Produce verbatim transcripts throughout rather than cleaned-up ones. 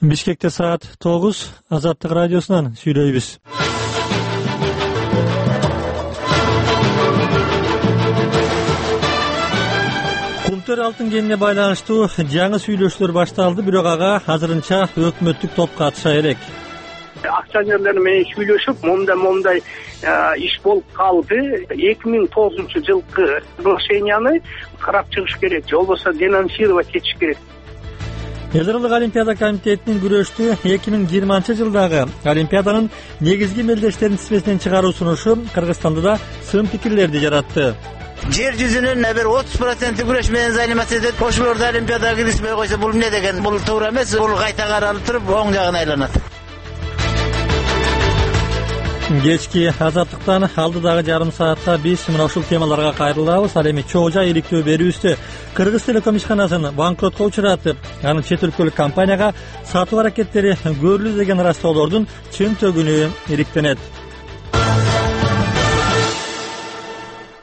Бишкекте саат тогуз, Азаттык радиосунан сүйлөйбүз. Кумтөр алтын кенине байланыштуу жаңы сүйлөшүүлөр башталды, бирок ага азырынча өкмөттүк топ катыша элек. Акционерлер менен сүйлөшүп, момдай момдай иш болуп калды. эки миң тогузунчу жылкы соглашенияны карап чыгыш керек, же болбосо денонсировать этиш керек. Эл аралык олимпиада комитетинин күрөштү эки миң жыйырманчы жылдагы олимпиаданын негизги мелдештерин тизмесинен чыгаруу сунушу Кыргызстанда да сын пикирлерди жаратты. Жер жүзүнүн бир отуз проценти күрөш менен заниматься этет. Ошолорду олимпиадага киргизбей койсо бул эмне деген? Бул туура эмес. Бул кайта каралып туруп оң жагына айланат. Кечки Азаттыктан алдыдагы жарым саатта биз мына ушул темаларга кайрылабыз. Ал эми чоо жай иликтөө берүүбүздө Кыргыз телеком ишканасын банкротко учуратып, анын чет өлкөлүк компанияга сатуу аракеттери көрүлүү деген ырастоолордун чын төгүнү иликтенет.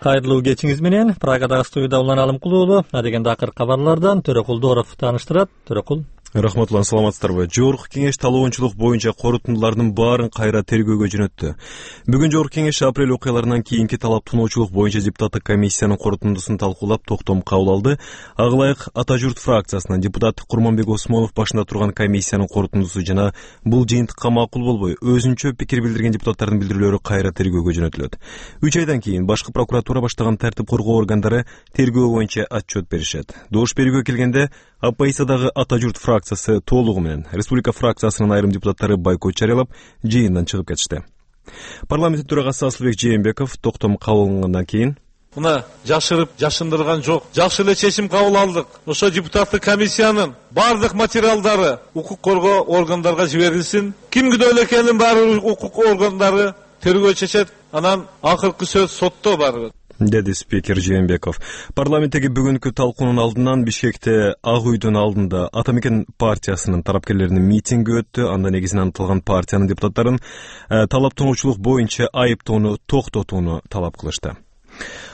Кайрылуу кечиңиз менен Прагадагы студияда Улан Алымкул уулу адегенде акыркы кабарлардан Төрөкул Дооров тааныштырат. Төрөкул. Рахматуллан, саламатсыздарбы? Жогорку кеңеш талоончулук боюнча корутундулардын баарын кайра тергөөгө жөнөттү. Бүгүн Жогорку кеңеш апрель окуяларынан кийинки талап тоноочулук боюнча депутаттык комиссиянын корутундусун талкуулап токтом кабыл алды. Ага ылайык Ата журт фракциясынан депутат Курманбек Осмонов башында турган комиссиянын корутундусу жана бул жыйынтыкка макул болбой өзүнчө пикир билдирген депутаттардын билдирүүлөрү кайра тергөөгө жөнөтүлөт. үч айдан кийин башкы прокуратура баштаган тартип коргоо органдары тергөө боюнча отчет беришет. Добуш берүүгө келгенде Апайсадагы Ата журт фракциясы толугу менен республика фракциясынын айрым депутаттары бойкот жарыялап, жыйындан чыгып кетишти. Парламент төрагасы Асылбек Жээнбеков токтом кабыл алынгандан кийин мына жашырып, жашындырган жок. Жакшы эле чечим кабыл алдык. Ошо депутаттык комиссиянын бардык материалдары укук коргоо органдарга жиберилсин. Ким күнөөлүү экенин баары укук органдары тергөө чечет. Анан акыркы сөз сотто бар, деди спикер Жээнбеков. Парламенттеги бүгүнкү талкуунун алдынан Бишкекте Ак үйдүн алдында Ата мекен партиясынын тарапкерлеринин митинги өттү. Анда негизинен аталган партиянын депутаттарын э, талап тоноочулук боюнча айыптоону токтотууну талап кылышты.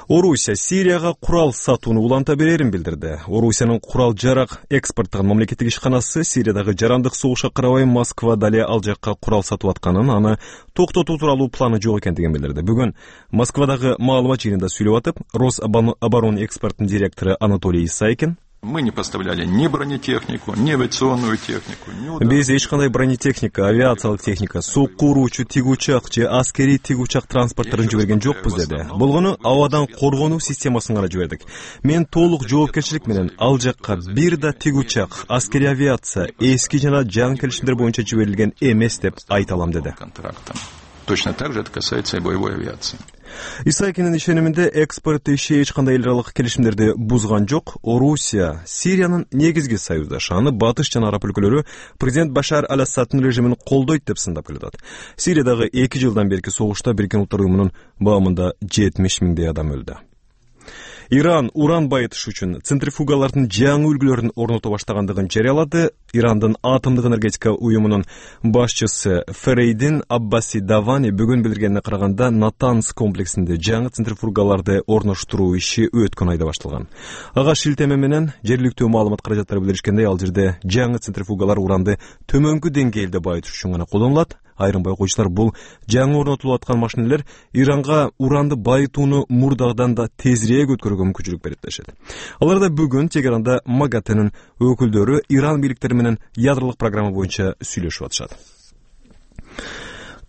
Орусия Сирияга курал сатууну уланта берерин билдирди. Орусиянын курал жарак экспорттогон мамлекеттик ишканасы Сириядагы жарандык согушка карабай Москва дале ал жакка курал сатып атканын, аны токтотуу тууралуу планы жок экендигин билдирди. Бүгүн Москвадагы маалымат жыйынында сүйлөп атып, Рособоронэкспорттун экспорттун директору Анатолий Исайкин Мы не поставляли ни бронетехнику, ни авиационную технику, ни удар... Биз эч кандай бронетехника, авиациялык техника, суу куруучу тигучак же аскерий тигучак транспорттарын жиберген жокпуз деди. Болгону абадан коргонуу системасын гана жибердик. Мен толук жоопкерчилик менен ал жакка бир да тигучак, аскерий авиация, эски жана жаңы келишимдер боюнча жиберилген эмес деп айта алам деди. Точно так же это касается и боевой авиации. Исайкинин ишениминде экспорт иши эч кандай эл аралык келишимдерди бузган жок. Орусия Сириянын негизги союздашы, аны Батыш жана Араб өлкөлөрү президент Башар аль-Асаддын режимин колдойт деп сындап келатат. Сириядагы эки жылдан берки согушта Бириккен Улуттар уюмунун баамында жетимиш миңдей адам өлдү. Иран уран байытыш үчүн центрифугалардын жаңы үлгүлөрүн орното баштагандыгын жарыялады. Ирандын атомдук энергетика уюмунун башчысы Ферейдин Аббаси Давани бүгүн билдиргенине караганда Натанс комплексинде жаңы центрифугаларды орноштуруу иши өткөн айда башталган. Ага шилтеме менен жергиликтүү маалымат каражаттары билдиришкендей, ал жерде жаңы центрифугалар уранды төмөнкү деңгээлде байытыш үчүн гана колдонулат. Айрым байкоочулар бул жаңы орнотулуп аткан машинелер Иранга уранды байытууну мурдагыдан да тезирээк өткөрүүгө мүмкүнчүлүк берет дешет. Аларда бүгүн Тегеранда МАГАТЭнин өкүлдөрү Иран бийликтери менен ядролук программа боюнча сүйлөшүп атышат.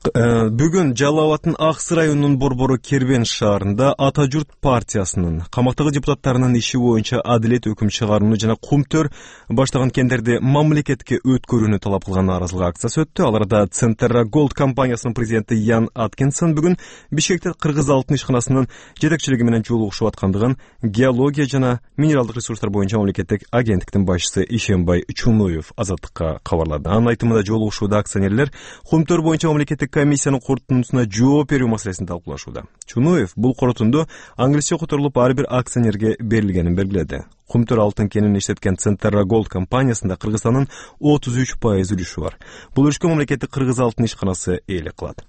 Бүгүн Жалал Абадтын Аксы районунун Борбору Кербен шаарында Ата журт партиясынын камактагы депутаттарынын иши боюнча адилет өкүм чыгарууну жана Кумтөр баштаган кендерди мамлекетке өткөрүүнү талап кылган нааразылык акциясы өттү. Аларда Центерра Голд компаниясынын президенти Ян Аткинсон бүгүн Бишкекте Кыргыз алтын ишканасынын жетекчилиги менен жолугушуп аткандыгын геология жана минералдык ресурстар боюнча мамлекеттик агенттиктин башчысы Ишенбай Чунуев Азаттыкка кабарлады. Анын айтымында жолугушууда акционерлер Кумтөр боюнча мамлекеттик комиссиянын корутундусуна жооп берүү маселесин талкуулашууда. Чунуев бул корутунду аңгилисче которулуп ар бир акционерге берилгенин белгиледи. Кумтөр алтын кенин иштеткен Центерра Голд компаниясында Кыргызстандын отуз үч пайыз үлүшү бар. Бул үлүшкө мамлекеттик Кыргыз алтын ишканасы ээлик кылат.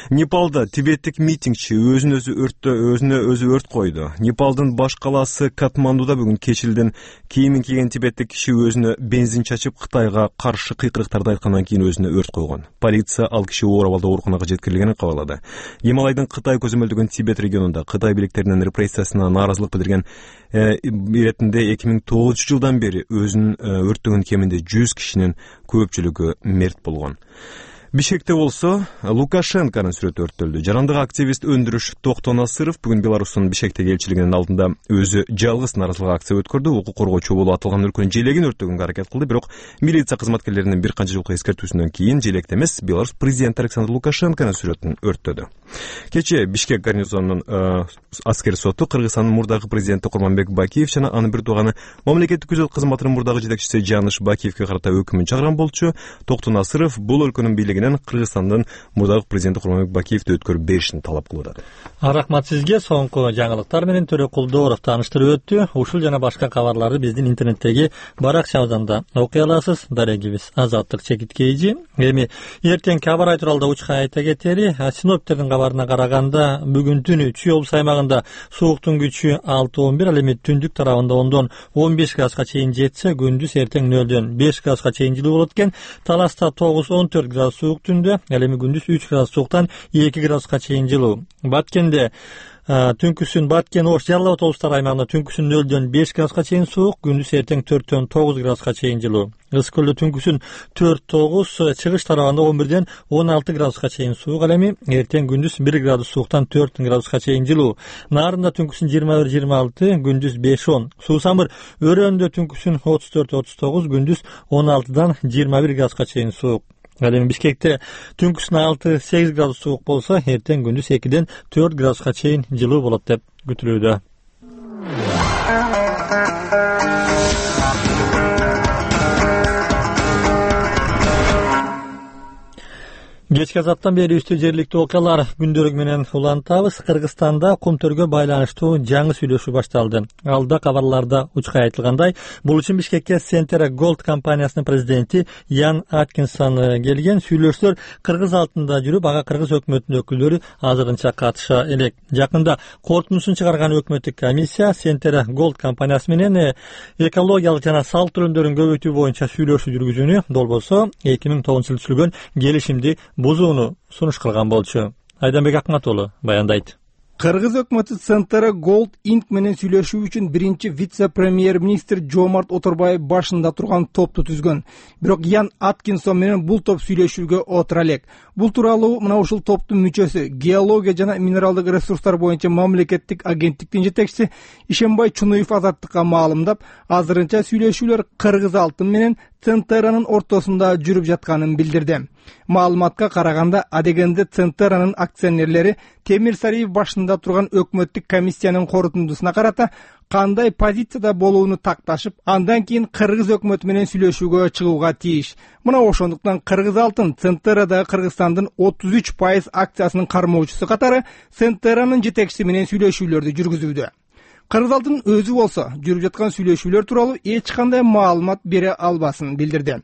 Непалда тибеттик митингчи өзүн өзү өрттө өзүнө өзү өрт койду. Непалдын баш калаасы Катмандуда бүгүн кечилден кийимин кийген тибеттик киши өзүнө бензин чачып Кытайга каршы кыйкырыктарды айткандан кийин өзүнө өрт койгон. Полиция ал киши оор абалда ооруканага жеткирилгенин кабарлады. Гималайдын Кытай көзөмөлдөгөн Тибет регионунда Кытай билектеринин репрессиясына нааразылык билдирген иретинде эки миң тогузунчу жылдан бери өзүн өрттөгөн кеминде жүз кишинин көпчүлүгү мерт болгон. Бишкекте болсо Лукашенконун сүрөтү өрттөлдү. Жарандык активист Өндүрүш Токтонасыров бүгүн Беларустун Бишкектеги элчилигинин алдында өзү жалгыз нааразылык акция өткөрдү. Укук коргоочу болуп аталган өлкөнүн желегин өрттөгөнгө аракет кылды, бирок милиция кызматкерлеринин бир канча жолку эскертүүсүнөн кийин желекте эмес, Беларусь президенти Александр Лукашенконун сүрөтүн өрттөдү. Кечээ Бишкек гарнизонунун аскер соту Кыргызстандын мурдагы президенти Курманбек Бакиев жана анын бир тууганы мамлекеттик күзөт кызматынын мурдагы жетекчиси Жаныш Бакиевке карата өкүмүн чыгарган болчу. Токтонасыров бул өлкөнүн бийлиги Кыргызстандын мурдагы президенти Курманбек Бакиевди өткөрүп беришин талап кылып атат. Рахмат сизге. Соңку жаңылыктар менен Төрө Кулдоров тааныштырып өттү. Ушул жана башка кабарларды биздин интернеттеги баракчабыздан да окуй аласыз. Дарегибиз Азаттык Чекиткейжи. Эми эртең кабар айтуралда учка айта кетери, синоптиктердин кабарына караганда бүгүн түнү Чүй облус аймагында сууктун күчү алты он бир, ал эми түндүк тарабында ондон он беш градуска чейин жетсе, күндүз эртең нөлдөн беш градуска чейин жылуу болот экен. Таласта тогуз он төрт градус суук түндө, ал эми күндүз үч градус сууктан эки градуска чейин жылуу. Баткенде түнкүсүн Баткен, Ош, Жалал Абад облустары аймагында түнкүсүн нөлдөн беш градуска чейин суук, күндүз эртең төрттөн тогуз градуска чейин жылуу. Ысык көлдө түнкүсүн төрт тогуз, чыгыш тарабында он бирден он алты градуска чейин суук, ал эми эртең күндүз бир градус сууктан төрт градуска чейин жылуу. Нарында түнкүсүн жыйырма бир жыйырма алты, күндүз беш он. Суусамыр Өрөндө түнкүсүн отуз төрт отуз тогуз, күндүз он алтыдан жыйырма бир градуска чейин суук. Ал эми Бишкекте түнкүсүн алты сегиз градус суук болсо, эртең күндүз экиден төрт градуска чейин жылуу болот деп күтүлүүдө. Кечки азаттан бери үстү жергиликтүү окуялар күндөрү менен улантабыз. Кыргызстанда кум төргө байланыштуу жаңы сүйлөшүү башталды. Алда кабарларда учка айтылгандай, бул үчүн Бишкекке Centera Gold компаниясынын президенти Ян Аткинсон келген. Сүйлөшүүлөр кыргыз алтында жүрүп, ага кыргыз өкмөтүнүн өкүлдөрү азырынча катыша элек. Жакында корутундусун чыгарган өкмөттүк комиссия Centera Gold компаниясы менен экологиялык жана салт төлөмдөрүн көбөйтүү боюнча сүйлөшүү жүргүзүүнү, долбосо эки миң тогузунчу жылы түзүлгөн келишимди бузууну сунуш кылган болчу. Айданбек Акматулу баяндайт. Кыргыз өкмөтү Centera Gold инк менен сүйлөшүү үчүн биринчи вице-премьер-министр Жомарт Оторбаев башында турган топту түзгөн. Бирок Ян Аткинсон менен бул топ сүйлөшүүгө отура элек. Бул тууралуу мына ушул топтун мүчөсү, геология жана минералдык ресурстар боюнча мамлекеттик агенттиктин жетекчиси Ишембай Чунуев Азаттыкка маалымдап, азырынча сүйлөшүүлөр Кыргыз алтын менен Centera'нын ортосунда жүрүп жатканын билдирди. Маалыматка караганда, адегенде Centera'нын акционерлери Темир Сариев башында турган өкмөттүк комиссиянын корутундусуна карата кандай позицияда болууну такташып, андан кийин Кыргыз өкмөтү менен сүйлөшүүгө чыгууга тийиш. Мына ошондуктан Кыргыз алтын Centera'да Кыргызстандын отуз үч пайыз акциясынын кармоочусу катары Centera'нын жетекчиси менен сүйлөшүүлөрдү жүргүзүүдө. Кыргыз алтын өзү болсо жүрүп жаткан сүйлөшүүлөр тууралуу эч кандай маалымат бере албасын билдирди.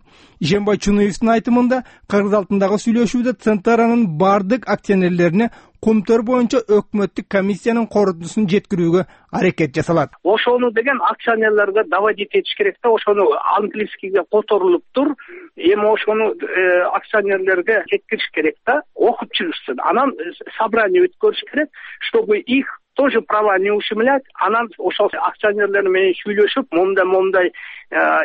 Ишембай Чунуевдин айтымында, Кыргыз алтындагы сүйлөшүүдө Centera'нын бардык акционерлерине кумтөр боюнча өкмөттүк комиссиянын корутундусун жеткирүүгө аракет жасалат. Ошону деген акционерлерге доводить этиш керек да, ошону английскийге которулуп тур, эми ошону акционерлерге жеткириш керек да, окуп чыгышсын. Анан собрание өткөрүш керек, чтобы их тоже права не ущемлять. Анан ошол акционерлер менен сүйлөшүп, мондай мондай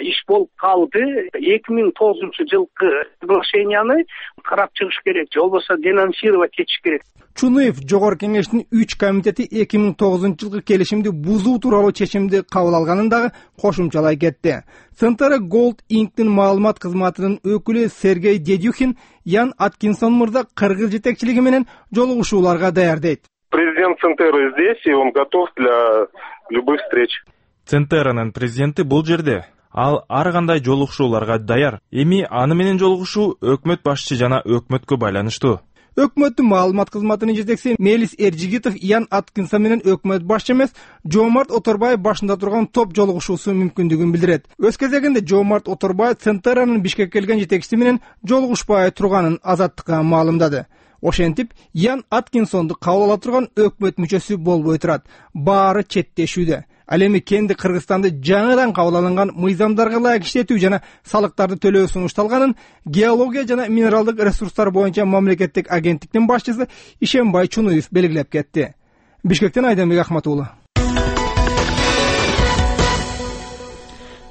иш болуп калды. эки миң тогузунчу жылкы соглашенияны карап чыгыш керек, же болбосо денонсировать этиш керек. Чунуев жогорку кеңештин үч комитети эки миң тогузунчу жылкы келишимди бузуу тууралуу чечимди кабыл алганын дагы кошумчалай кетти. Centera Gold инктин маалымат кызматынын өкүлү Сергей Дедюхин Ян Аткинсон мырза кыргыз жетекчилиги менен жолугушууларга даяр дейт. Президент Centera здесь, и он готов для любых встреч. Centera'нын президенти бул жерде. Ал ар кандай жолугушууларга даяр. Эми аны менен жолугушуу өкмөт башчы жана өкмөткө байланыштуу. Өкмөттүн маалымат кызматынын жетекчиси Мелис Эржигитов Ян Аткинсон менен өкмөт башчы эмес, Жомарт Оторбаев башында турган топ жолугушуусу мүмкүндүгүн билдирет. Өз кезегинде Жомарт Оторбаев Centera'нын Бишкекке келген жетекчиси менен жолугушпай турганын Азаттыкка маалымдады. Ошентип Ян Аткинсонду кабыл ала турган өкмөт мүчөсү болбой турат. Баары четтешүүдө. Ал эми кенди Кыргызстанды жаңыдан кабыл алынган мыйзамдарга ылайык иштетүү жана салыктарды төлөө сунушталганын геология жана минералдык ресурстар боюнча мамлекеттик агенттиктин башчысы Ишенбай Чунуев белгилеп кетти. Бишкектен Айдамбек Ахматуулу.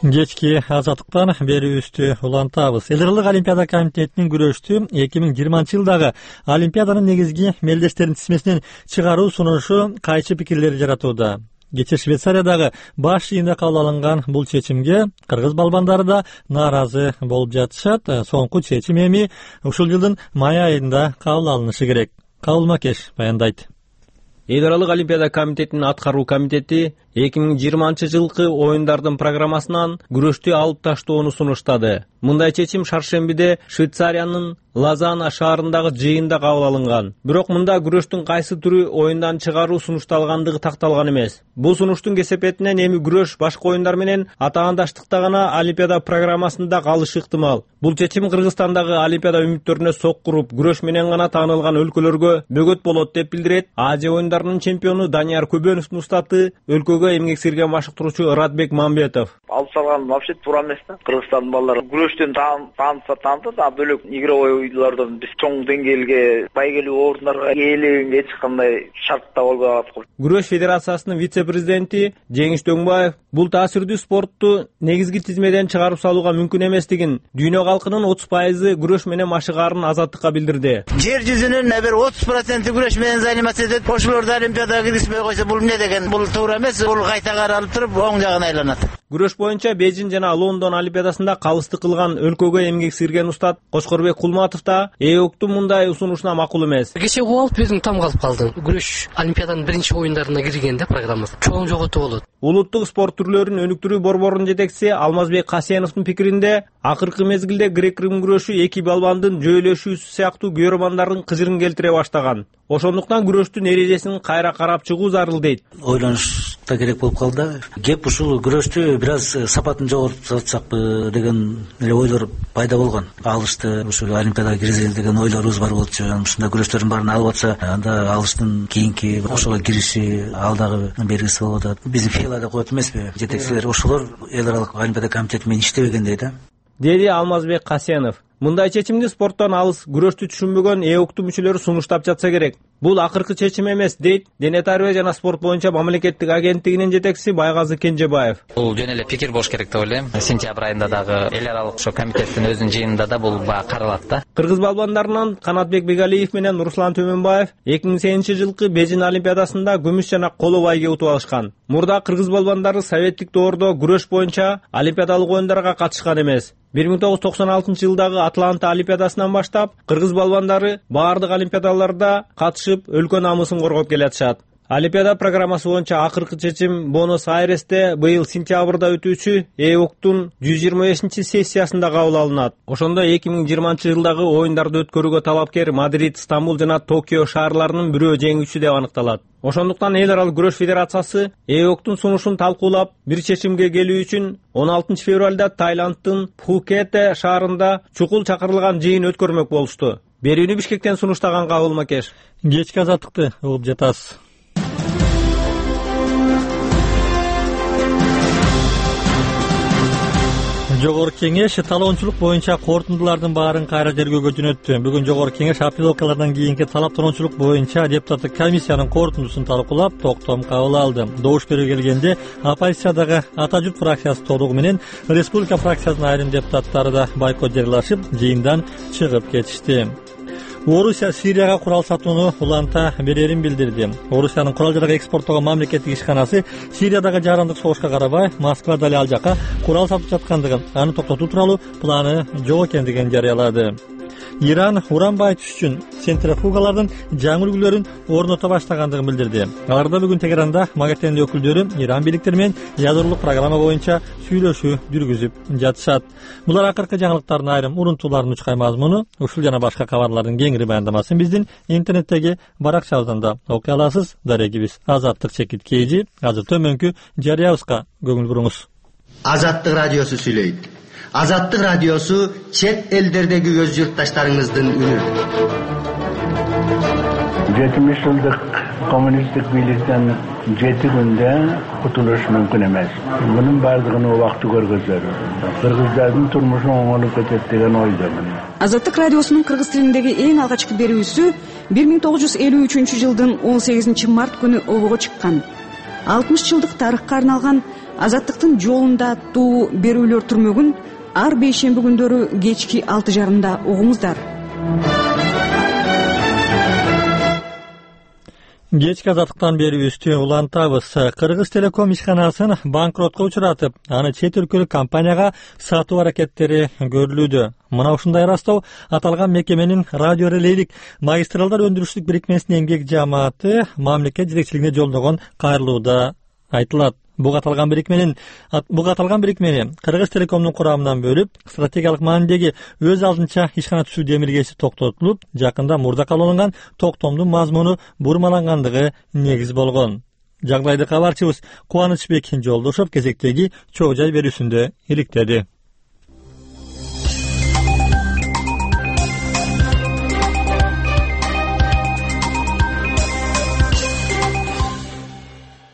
Кечки азаттыктан берүүбүздү улантабыз. Эл аралык Олимпиада комитетинин күрөштү эки миң жыйырманчы жылдагы Олимпиаданын негизги мелдештерин тизмесинен чыгаруу сунушу кайчы пикирлер жаратууда. Кече Швейцариядагы баш жыйында кабыл алынган бул чечимге кыргыз балбандары да нааразы болуп жатышат. Соңку чечим эми ушул жылдын май айында кабыл алынышы керек. Кабыл Макеш баяндайт. Эл аралык Олимпиада комитетинин аткаруу комитети эки миң жыйырманчы жылкы оюндардын программасынан күрөштү алып таштоону сунуштады. Мындай чечим шаршембиде Швейцариянын Лозанна шаарындагы жыйында кабыл алынган. Бирок мында күрөштүн кайсы түрү оюндан чыгаруу сунушталгандыгы такталган эмес. Бул сунуштун кесепетинен эми күрөш башка оюндар менен атаандаштыкта гана Олимпиада программасында калышы ыктымал. Бул чечим Кыргызстандагы Олимпиада үмүттөрүнө сок куруп, күрөш менен гана таанылган өлкөлөргө бөгөт болот деп билдирет Азия оюндарынын чемпиону Данияр Көбөновдун устаты, өлкөгө эмгек сирген машыктыруучу Радбек Мамбетов. Алып салган вообще туура эмес да. Кыргызстандын балдары күрөштөн таанса таанды, а бөлөк игровой оюндардан биз чоң деңгээлге, байгелүү орундарга ээлегенге эч кандай шартта болбой калат. Күрөш федерациясынын вице-президенти Жеңиш Дөңбаев бул таасирдүү спортту негизги тизмеден чыгарып салууга мүмкүн эместигин, дүйнө калкынын отуз пайызы күрөш менен машыгаарын азаттыкка билдирди. Жер жүзүнүн бир отуз проценти күрөш менен заниматься этет. Ошолорду Олимпиадага киргизбей койсо бул эмне деген? Бул туура эмес. Бул кайта каралып туруп оң жагына айланат. Күрөш боюнча Бейжин жана Лондон олимпиадасында калыстык кылган өлкөгө эмгек сирген устат Кошкорбек Кулматов да ЭОктун мындай усунушуна макул эмес. Кече угуп алып өзүм таң калып калдым. Күрөш Олимпиаданын биринчи оюндарына кирген да программасы. Чоң жоготуу болот. Улуттук спорт түрлөрүн өнүктүрүү борборунун жетекчиси Алмазбек Касеновдун пикиринде, акыркы мезгилде грек-рим күрөшү эки балбандын жөөлөшүүсү сыяктуу көрөрмандардын кыжырын келтире баштаган. Ошондуктан күрөштүн эрежесин кайра карап чыгуу зарыл дейт. Ойлонуш да керек болуп калды. Кеп ушул күрөштү бир аз сапатын жоготуп сатсакпы деген эле ойлор пайда болгон. Алышты ушул Олимпиадага киргизели деген ойлорубуз бар болчу. Ушундай күрөштөрдүн баарын алып атса, анда алыштын кийинки ошого кириши ал дагы бергиси болуп атат. Биздин филада коет эмеспи? Жетекчилер ошолор эл аралык Олимпиада комитети менен иштебегендей да. Деди Алмазбек Касенов. Мындай чечимди спорттон алыс, күрөштү түшүнбөгөн ЭОктун мүчөлөрү сунуштап жатса керек. Бул акыркы чечим эмес, дейт Дене тарбия жана спорт боюнча мамлекеттик агенттигинин жетекчиси Байгазы Кенжебаев. Бул жөн эле пикир болуш керек деп ойлойм. Сентябрь айында дагы эл аралык ошо комитеттин өзүнүн жыйынында да бул баа каралат да. Кыргыз балбандарынан Канатбек Бегалиев менен Руслан Төмөнбаев эки миң сегизинчи жылкы Бейжин олимпиадасында күмүш жана коло байге утуп алышкан. Мурда кыргыз балбандары советтик доордо күрөш боюнча олимпиадалык оюндарга катышкан эмес. бир миң тогуз жүз токсон алтынчы жылдагы Атланта олимпиадасынан баштап кыргыз балбандары баардык олимпиадаларда катышып өлкө намысын коргоп келатышат. Олимпиада программасы боюнча акыркы чечим Буэнос-Айресте быйыл сентябрда өтүүчү ЭОктун жүз жыйырма бешинчи сессиясында кабыл алынат. Ошондо эки миң жыйырманчы жылдагы оюндарды өткөрүүгө талапкер Мадрид, Стамбул жана Токио шаарларынын бирөө жеңүүчүсү деп аныкталат. Ошондуктан эл аралык күрөш федерациясы ЭОктун сунушун талкуулап бир чечимге келүү үчүн он алтынчы февралда Таиланддын Пхукете шаарында чукул чакырылган жыйын өткөрмөк болушту. Берүүнү Бишкектен сунуштаган Кабыл Макеш. Кечки азаттыкты угуп жатасыз. Жогорку кеңеш талоончулук боюнча корутундулардын баарын кайра тергөөгө жөнөттү. Бүгүн Жогорку кеңеш апелдокалардан кийинки талап талоончулук боюнча депутаттык комиссиянын корутундусун талкуулап, токтом кабыл алды. Добуш берүү келгенде оппозициядагы Ата журт фракциясы толугу менен Республика фракциясынын айрым депутаттары да бойкот жарыялашып, жыйындан чыгып кетишти. Орусия Сирияга курал сатууну уланта берерин билдирди. Орусиянын курал-жарак экспорттогон мамлекеттик ишканасы Сириядагы жарандык согушка карабай Москва дали ал жака курал сатып жаткандыгын, аны токтотуу тууралуу планы жок экендигин жарыялады. Иран уран байытыш үчүн центрифугалардын жаңы үлгүлөрүн орното баштагандыгын билдирди. Аларда бүгүн Тегеранда МАГАТЭндин өкүлдөрү Иран бийликтери менен ядеролук программа боюнча сүйлөшүү жүргүзүп жатышат. Булар акыркы жаңылыктардын айрым урунтууларынын учкай мазмуну. Ушул жана башка кабарлардын кеңири баяндамасын биздин интернеттеги баракчабыздан да окуй аласыз. Дарегибиз Азаттык чекит кейжи. Азыр төмөнкү жарыябызга көңүл буруңуз. Азаттык радиосу сүйлөйт. Азаттык радиосу чет элдердеги өз журтташтарыңыздын үнү. жетимиш жылдык коммунисттик бийликтен жети күндө кутулуш мүмкүн эмес. Мунун баардыгынын убакыты көргөзөр. Кыргыздардын турмушу оңолуп кетет деген ойдомун. Азаттык радиосунун кыргыз тилиндеги эң алгачкы берүүсү бир миң тогуз жүз элүү үчүнчү жылдын он сегизинчи март күнү обого чыккан. алтымыш жылдык тарыхка арналган Азаттыктын жолунда аттуу берүүлөр түрмөгүн ар бейшемби күндөрү кечки алты жарымда угуңуздар. Кечки азаттыктан берүүбүздү улантабыз. Кыргыз Телеком ишканасын банкротко учуратып, аны чет өлкөлүк компанияга сатуу аракеттери көрүлүүдө. Мына ушундай ырастоо аталган мекеменин радио релейлик магистралдар өндүрүштүк бирикмесинин эмгек жааматы мамлекет жетекчилигине жолдогон кайрылууда айтылат. Буга аталган бирикменин буга аталган бирикмени Кыргыз Телекомдун курамынан бөлүп, стратегиялык маанидеги өз алдынча ишкана түзүү демилгеси токтотулуп, жакында мурда кабыл алынган токтомдун мазмуну бурмалангандыгы негиз болгон. Жагдайды кабарчыбыз Кубанычбек Жолдошов кезектеги чоо жай берүүсүндө иликтеди.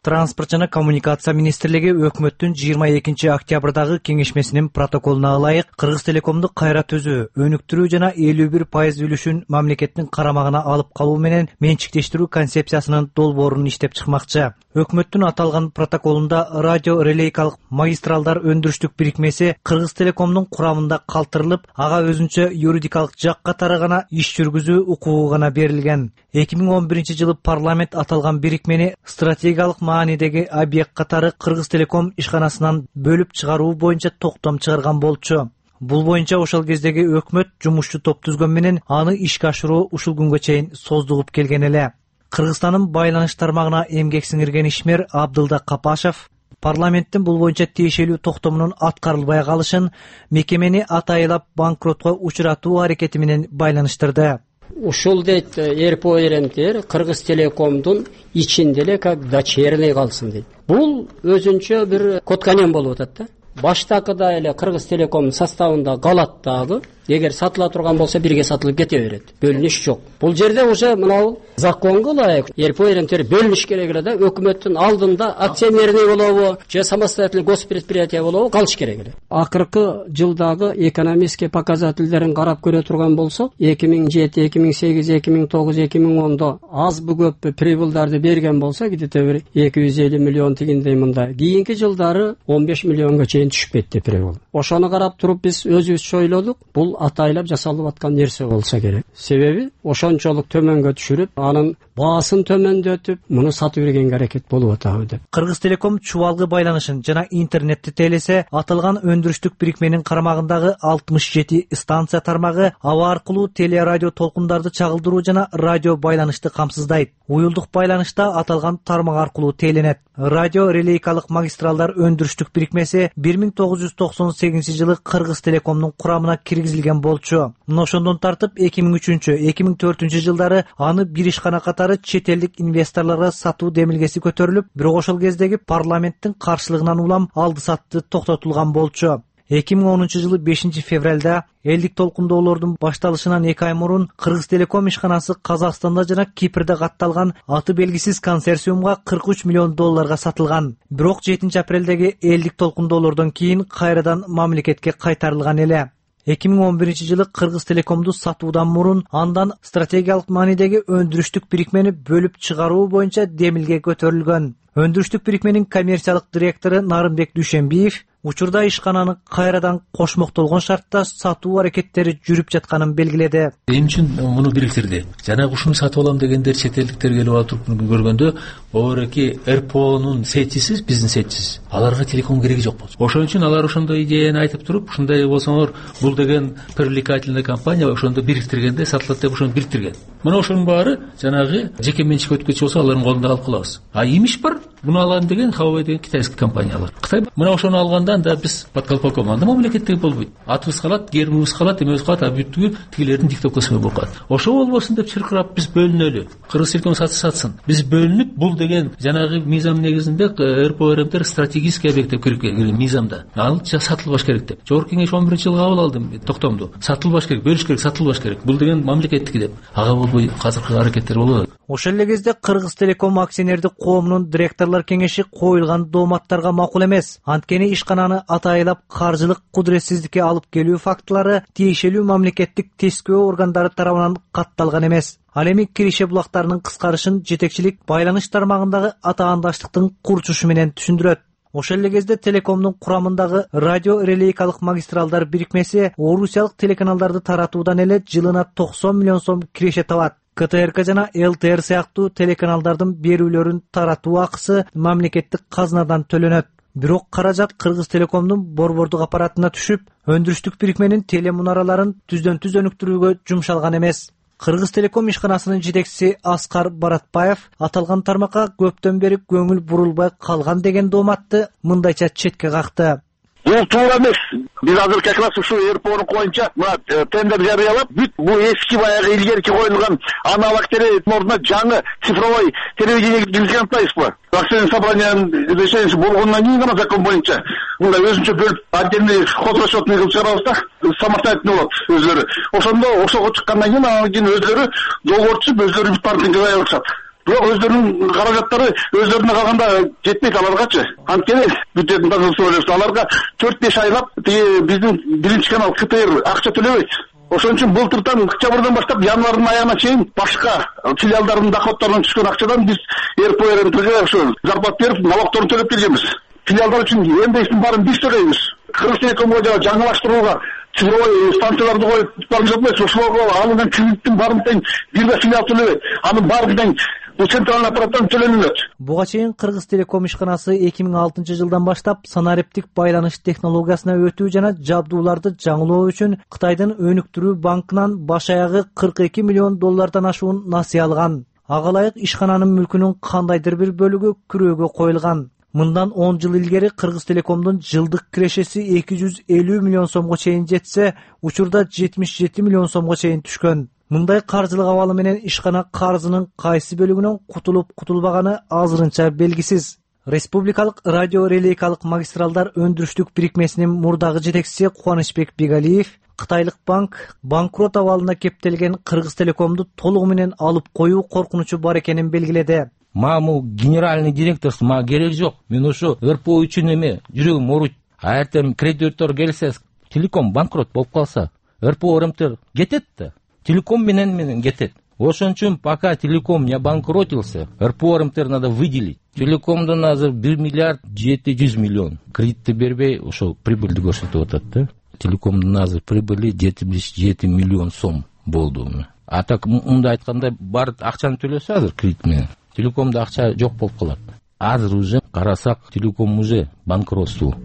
Транспорт жана коммуникация министрлиги өкмөттүн жыйырма экинчи октябрдагы кеңешмесинин протоколуна ылайык Кыргыз Телекомду кайра түзүү, өнүктүрүү жана элүү бир пайыз үлүшүн мамлекеттин карамагына алып калуу менен менчиктештирүү концепциясынын долбоорун иштеп чыкмакчы. Өкмөттүн аталган протоколунда радио релейкалык магистралдар өндүрүштүк бирикмеси Кыргыз Телекомдун курамында калтырылып, ага өзүнчө юридикалык жак катары гана иш жүргүзүү укугу гана берилген. эки миң он биринчи жылы парламент аталган бирикмени стратегиялык маанидеги объект катары Кыргыз Телеком ишканасынан бөлүп чыгаруу боюнча токтом чыгарган болчу. Бул боюнча ошол кездеги өкмөт жумушчу топ түзгөн менен аны ишке ашыруу ушул күнгө чейин создугуп келген эле. Кыргызстандын байланыш тармагына эмгек сиңирген ишмер Абдылда Капашев парламенттин бул боюнча тиешелүү токтомунун аткарылбай калышын мекемени атайылап банкротко учуратуу аракети менен байланыштырды. Ушул дейт РПО-РМТР Кыргыз Телекомдун ичинде эле как дочерный калсын дейт. Бул өзүнчө бир котканем болуп атат да. Баштакыда эле Кыргыз Телекомдун составында калат дагы. Эгер сатыла турган болсо бирге сатылып кете берет. Бөлүнүш жок. Бул жерде уже мынау законго ылайык РПО-РМТР бөлүнүш керек эле да. Өкмөттүн алдында акционерный болобу, же самостоятельный госпредприятие болобу калыш керек эле. Акыркы жылдагы экономический показательдерин карап көрө турган болсок, эки миң жети, эки миң сегиз, эки миң тогуз, эки миң ондо азбы көппү прибылдарды берген болсо, где-то бир эки жүз элүү миллион тигиндей мында. Кийинки жылдары он беш миллионго чейин түшүп кетти прибыл. Ошону карап туруп биз өзүбүз ойлодук, бул атайлап жасалып аткан нерсе болсо керек. Себеби ошончолук төмөнгө түшүрүп, анын баасын төмөндөтүп, муну сатып бергенге аракет болуп атабы деп. Кыргыз Телеком чубалгы байланышын жана интернетти тейлесе, аталган өндүрүштүк бирикменин карамагындагы алтымыш жети станция тармагы аба аркылуу телерадио толкундарды чагылдыруу жана радио байланышты камсыздайт. Уюлдук байланышта аталган тармак аркылуу тейлөнөт. Радио релейкалык магистралдар өндүрүштүк бирикмеси бир миң тогуз жүз токсон сегизинчи жылы Кыргыз Телекомдун курамына киргизилген болчу. Мына ошондон тартып эки миң үчүнчү, эки миң төртүнчү жылдары аны бир ишкана катары чет элдик инвесторлорго сатуу демилгеси көтөрүлүп, бирок ошол кездеги парламенттин каршылыгынан улам алды сатты токтотулган болчу. эки миң онунчу жылы бешинчи февралда элдик толкундоолордун башталышынан эки ай мурун Кыргыз Телеком ишканасы Казакстанда жана Кипрде катталган аты белгисиз консорциумга кырк үч миллион долларга сатылган. Бирок жетинчи апрелдеги элдик толкундоолордон кийин кайрадан мамлекетке кайтарылган эле. эки миң он биринчи жылы Кыргыз Телекомду сатуудан мурун андан стратегиялык маанидеги өндүрүштүк бирикмени бөлүп чыгаруу боюнча демилге көтөрүлгөн. Өндүрүштүк бирикменин коммерциялык директору Нарымбек Дүйшенбиев учурда ишкананы кайрадан кошмоктолгон шартта сатуу аракеттери жүрүп жатканын белгиледи. Эмне үчүн муну бириктирди? Жанагы ушуну сатып алам дегендер чет элдиктер келип алып көргөндө, обереки РПОнун сетчиси, биздин сетчиси. Аларга телеком кереги жок болчу. Ошон үчүн алар ошондой идеяны айтып туруп, ушундай болсоңор, бул деген привлекательный компания, ошондо бириктиргенде сатылат деп ошону бириктирген. Мына ошонун баары жанагы жеке менчикке өткөчү болсо, алардын колунда калып калабыз. А имиш бар, муну алам деген Huawei деген китайский компаниялар. Кытай мына ошону алганда анда биз подколпоком анда мамлекеттеги болбойт. Атыбыз калат, гербибиз калат, эмебиз калат, а бүттүгү тигилердин диктовкасы болуп калат. Ошо болбосун деп чыркырап биз бөлүнөлү. Кыргыз Телеком сатса сатсын. Биз бөлүнүп, бул деген жанагы мыйзам негизинде РПО-РМТР стратегический объект деп кирип келген мыйзамда. Ал сатылбаш керек деп. Жогорку кеңеш он биринчи жылы кабыл алды токтомду. Сатылбаш керек, бөлүш керек, сатылбаш керек. Бул деген мамлекеттики деп. Ага болбойт. болбой азыркы аракеттер болуп атат. Ошол эле кезде Кыргыз Телеком акционердик коомунун директорлор кеңеши коюлган дооматтарга макул эмес. Анткени ишкананы атайылап каржылык кудуретсиздикке алып келүү фактылары тиешелүү мамлекеттик тескөө органдары тарабынан катталган эмес. Ал эми киреше булактарынын кыскарышын жетекчилик байланыш тармагындагы атаандаштыктын курчушу менен түшүндүрөт. Ошол эле кезде Телекомдун курамындагы радио релейкалык магистралдар бирикмеси орусиялык телеканалдарды таратуудан эле жылына токсон миллион сом киреше табат. К Т Р К жана Л Т Р сыяктуу телеканалдардын берүүлөрүн таратуу акысы мамлекеттик казынадан төлөнөт. Бирок каражат Кыргыз Телекомдун борбордук аппаратына түшүп, өндүрүштүк бирикменин телемунараларын түздөн түз өнүктүрүүгө жумшалган эмес. Кыргыз Телеком ишканасынын жетекчиси Аскар Баратбаев аталган тармакка көптөн бери көңүл бурулбай калган деген дооматты мындайча четке какты. Бул туура эмес. Биз азыр как раз ушу Р П О'нун боюнча мына тендер жарыялап, бүт бул эски баягы илгерки коюлган аналог телевидениянын ордуна жаңы цифровой телевидение киргизген атпайбызбы? Акционерный собраниянын решениясы болгондон кийин гана закон боюнча мындай өзүнчө бөлүп отдельный хозрасчетный кылып чыгарабыз да, самостоятельный болот өзлөрү. Ошондо ошого чыккандан кийин анан кийин өзлөрү договор түзүп, өзлөрү бүт паркинге кая алышат. Бирок өздөрүнүн каражаттары өздөрүнө калганда жетпейт аларгачы. Анткени бюджеттин тазалыгы аларга төрт беш айлап тиги биздин биринчи канал К Т Р акча төлөбөйт. Ошон үчүн былтырдан октябрдан баштап январдын аягына чейин башка филиалдардын доходторунан түшкөн акчадан биз Р П О Рнтге ошо зарплата берип, налогторун төлөп келгенбиз. Филиалдар үчүн эмдештин баарын биз төлөйбүз. Кыргыз Телекомго жана жаңылаштырууга цифровой станцияларды коюп барын жатпайбыз. Ошолорго алынган кредиттин баарын тең бир да филиал төлөбөйт. Анын баары тең бул центральный аппараттан төлөнүлөт. Буга чейин Кыргыз Телеком ишканасы эки миң алтынчы жылдан баштап санариптик байланыш технологиясына өтүү жана жабдууларды жаңылоо үчүн Кытайдын өнүктүрүү банкынан баш аягы кырк эки миллион доллардан ашуун насыя алган. Ага ылайык ишкананын мүлкүнүн кандайдыр бир бөлүгү күрөөгө коюлган. Мындан он жыл илгери Кыргыз Телекомдун жылдык кирешеси эки жүз элүү миллион сомго чейин жетсе, учурда жетимиш жети миллион сомго чейин түшкөн. Мындай каржылык абалы менен ишкана карзынын кайсы бөлүгүнөн кутулуп кутулбаганы азырынча белгисиз. Республикалык радио релейкалык магистралдар өндүрүштүк бирикмесинин мурдагы жетекчиси Кубанычбек Бегалиев Кытайлык банк банкрот абалына кептелген Кыргыз Телекомду толугу менен алып коюу коркунучу бар экенин белгиледи. Маму генеральный директорсу мага керек жок. Мен ошо Р П О үчүн эме жүрөгүм ооруйт. А эртең кредитор келсе, Телеком банкрот болуп калса, Р П О Р М Т кетет да. Телеком менен менен кетет. Ошон үчүн пока Телеком не обанкротился, Р П О Р М Т надо выделить. Телекомдон азыр бир миллиард жети жүз миллион кредитти бербей, ошол прибыльди көрсөтүп атат да. Телекомдун азыр прибыли жетимиш жети миллион сом болду. А так мындай айтканда бар акчаны төлөсө азыр кредит менен Телекомдо акча жок болуп калат. Азыр уже карасак Телеком уже банкротство.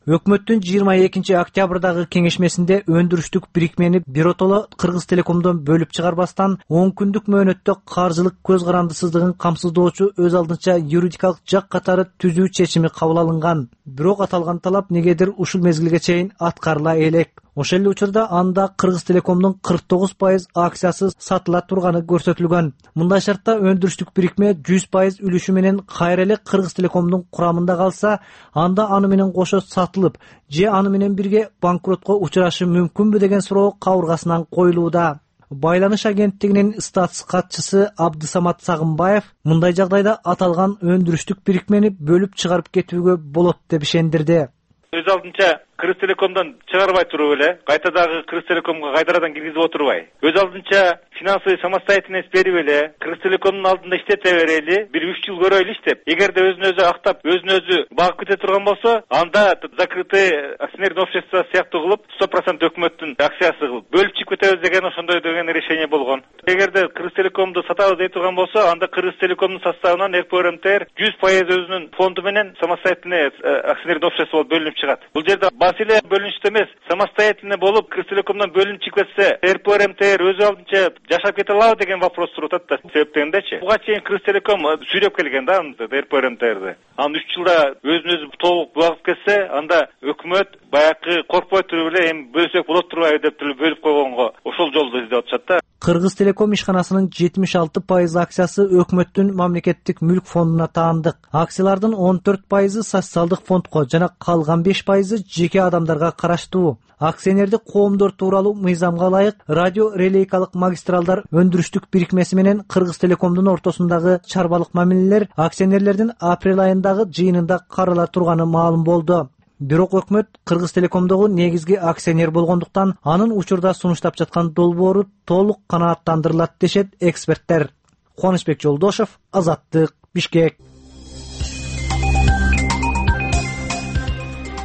Өкмөттүн жыйырма экинчи октябрдагы кеңешмесинде өндүрүштүк бирикмени биротоло Кыргыз Телекомдон бөлүп чыгарбастан он күндүк мөөнөттө каржылык көз карандысыздыгын камсыздоочу өз алдынча юридикалык жак катары түзүү чечими кабыл алынган. Бирок аталган талап негедир ушул мезгилге чейин аткарыла элек. Ошол эле учурда анда Кыргыз Телекомдун кырк тогуз пайыз акциясы сатыла турганы көрсөтүлгөн. Мындай шартта өндүрүштүк бирикме жүз пайыз үлүшү менен кайра эле Кыргыз Телекомдун курамында калса, анда аны менен кошо сатылып, же аны менен бирге банкротко учурашы мүмкүнбү деген суроо кабыргасынан коюлууда. Байланыш агенттигинин статус катчысы Абдысамат Сагынбаев мындай жагдайда аталган өндүрүштүк бирикмени бөлүп чыгарып кетүүгө болот деп ишендирди. Өз алдынча Кыргыз Телекомдон чыгарбай туруп эле кайта дагы Кыргыз Телекомго кайрадан киргизип отурбай, өз алдынча финансовый самостоятельность берип эле Кыргыз Телекомдун алдында иштете берели, бир үч жыл көрөйлү иштеп. Эгерде өзүн өзү актап, өзүн өзү багып кете турган болсо, анда закрытый акционерное общество сыяктуу кылып, сто процент өкмөттүн акциясы кылып бөлүп чыгып кетебиз деген ошондой деген решение болгон. Эгерде Кыргыз Телекомду сатабыз дей турган болсо, анда Кыргыз Телекомдун составынан Р П О Р М Т жүз пайыз өзүнүн фонду менен самостоятельный акционерное общество болуп бөлүнүп чыгат. Бул жерде маселе бөлүнүштө эмес, самостоятельно болуп Кыргыз Телекомдон бөлүнүп чыгып кетсе, РПО РМТР өз алдынча жашап кете алабы деген вопрос туруп атат да. Себептегендечи буга чейин Кыргыз Телеком сүйлөп келген да РПО РМТРди. Анан үч жылда өзүн өзү толук булагып кетсе, анда өкмөт баягы коркпой туруп эле эми бөлсөк болот турбайбы деп бөлүп койгонго ошол жолду издеп атышат да. Кыргыз Телеком ишканасынын жетимиш алты пайыз акциясы өкмөттүн мамлекеттик мүлк фондуна таандык. Акциялардын он төрт пайызы социалдык фондко жана калган беш пайызы жеке адамдарга караштуу. Акционердик коомдор тууралуу мыйзамга ылайык радио релейкалык магистралдар өндүрүштүк бирикмеси менен Кыргыз Телекомдун ортосундагы чарбалык мамилелер акционерлердин апрель айындагы жыйынында карала турганы маалым болду. Бирок өкмөт Кыргыз Телекомдогу негизги акционер болгондуктан анын учурда сунуштап жаткан долбоору толук канааттандырылат дешет эксперттер. Кубанычбек Жолдошев, Азаттык, Бишкек.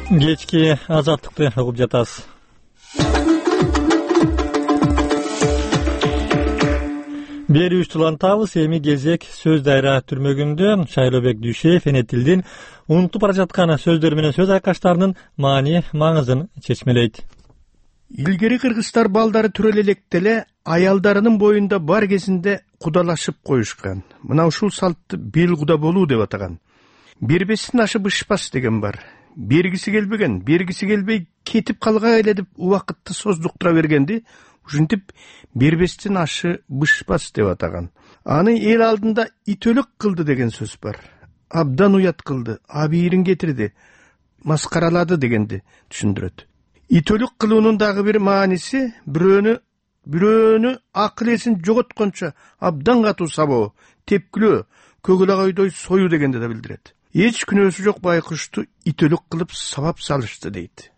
Кечки Азаттыкты угуп жатасыз. Берүүбүздү улантабыз. Эми кезек сөз дайра түрмөгүндө Шайлообек Дүйшеев эне тилдин унутуп бара жаткан сөздөр менен сөз айкаштарынын маани маңызын чечмелейт. Илгери кыргыздар балдары төрөлө электе эле аялдарынын боюнда бар кезинде кудалашып коюшкан. Мына ушул салтты бел куда болуу деп атаган. Бербестин ашы бышпас деген бар. Бергиси келбеген, бергиси келбей кетип калгай эле деп убакытты создуктура бергенди ушинтип бербестин ашы бышпас деп атаган. Аны эл алдында итөлүк кылды деген сөз бар. Абдан уят кылды, абийирин кетирди, маскаралады дегенди түшүндүрөт. Итөлүк кылуунун дагы бир мааниси бирөөнү бирөөнү акыл эсин жоготкончо абдан катуу сабоо, тепкилөө, көгүл агайдой союу дегенди да билдирет. Эч күнөөсү жок байкушту итөлүк кылып сабап салышты дейт.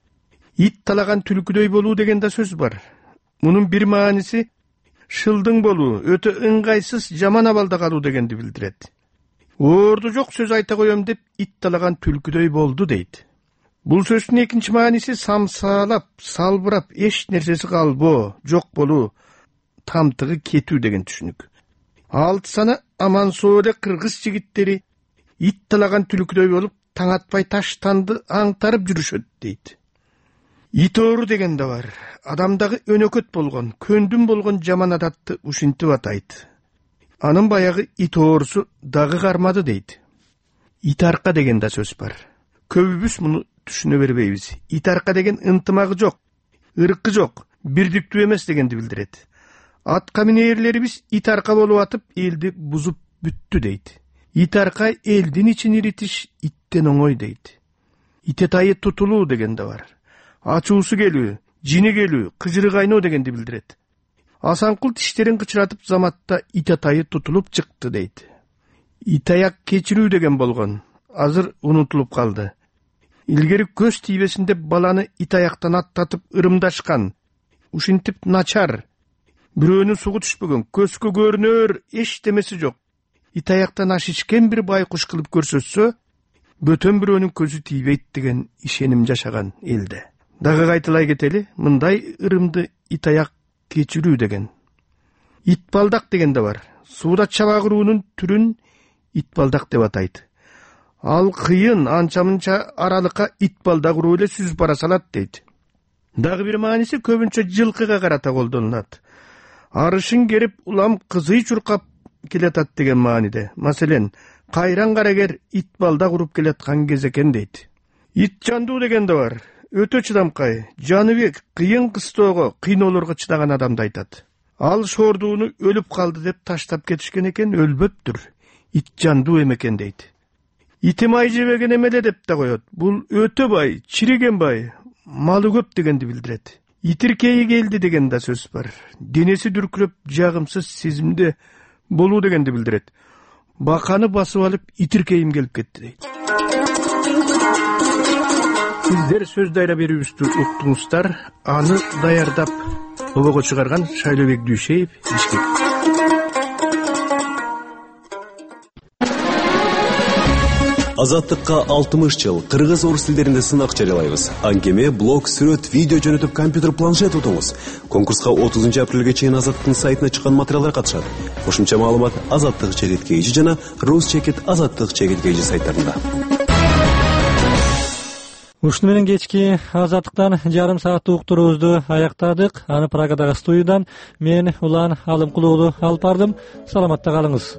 Ит талаган түлкүдөй болуу деген да сөз бар. Мунун бир мааниси шылдың болуу, өтө ыңгайсыз жаман абалда калуу дегенди билдирет. Орду жок сөз айта коем деп ит талаган түлкүдөй болду дейт. Бул сөздүн экинчи мааниси самсаалап, салбырап, эч нерсеси калбоо, жок болуу, тамтыгы кетүү деген түшүнүк. Алты саны аман соо эле кыргыз жигиттери ит талаган түлкүдөй болуп, таң атпай таштанды аңтарып жүрүшөт дейт. Ит оору деген да бар. Адамдагы өнөкөт болгон, көндүм болгон жаман адатты ушинтип атайт. Анын баягы ит оорусу дагы кармады дейт. Ит арка деген да сөз бар. Көбүбүз муну түшүнө бербейбиз. Ит арка деген ынтымагы жок, ыркы жок, бирдиктүү эмес дегенди билдирет. Атка минээрлерибиз ит арка болуп атып, элди бузуп бүттү дейт. Ит арка элдин ичин иритиш иттен оңой дейт. Ите тайы тутулуу деген да бар. Ачуусу келүү, жини келүү, кыжыры кайноо дегенди билдирет. Асанкул тиштерин кычыратып заматта ите тайы тутулуп чыкты дейт. Итаяк кечирүү деген болгон, азыр унутулуп калды. Илгери көз тийбесин деп баланы итаяктан аттатып ырымдашкан. Ушинтип начар, бирөөнүн сугу түшпөгөн, көзгө көрүнөр эчтемеси жок. Итаяктан аш ичкен бир байкуш кылып көрсөтсө, бөтөн бирөөнүн көзү тийбейт деген ишеним жашаган элде. Дагы кайталай кетели, мындай ырымды итаяк кечирүү деген. Итбалдак деген да бар. Сууда чабагыруунун түрүн итбалдак деп атайт. Ал кыйын, анча-мынча аралыкка итбалдак уруу эле сүзүп бара салат дейт. Дагы бир мааниси көбүнчө жылкыга карата колдонулат. Арышын керип, улам кызый чуркап келатат деген мааниде. Маселен, кайран карагер итбалдак уруп келаткан кез экен дейт. Ит жандуу деген да бар. Өтө чыдамкай, Жаныбек кыйын кыстоого, кыйноолорго чыдаган адамды айтат. Ал шордууну өлүп калды деп таштап кетишкен экен, өлбөптүр. Ит жандуу экен дейт. Ити май жебеген эмеле деп да коет. Бул өтө бай, чириген бай, малы көп дегенди билдирет. Итиркейи келди деген да сөз бар. Денеси дүркүлөп, жагымсыз сезимде болуу дегенди билдирет. Баканы басып алып, итиркейим келип кетти дейт. Сиздер сөз дайра берүүбүздү уктуңуздар. Аны даярдап обого чыгарган Шайлообек Дүйшеев, Бишкек. Азаттыкка алтымыш жыл кыргыз орус тилдеринде сынак жарыялайбыз. Аңгеме, блог, сүрөт, видео жөнөтүп компьютер, планшет утуңуз. Конкурска отузунчу апрелге чейин Азаттыктын сайтына чыккан материалдар катышат. Кошумча маалымат Азаттык чекит кейжи жана Рус чекит Азаттык чекит кейжи сайттарында. Ушуну менен кечки Азаттыктан жарым сааттык уктуруубузду аяктадык. Аны Прагадағы студиядан мен Улан Алымкулуу алып бардым. Саламатта калыңыз.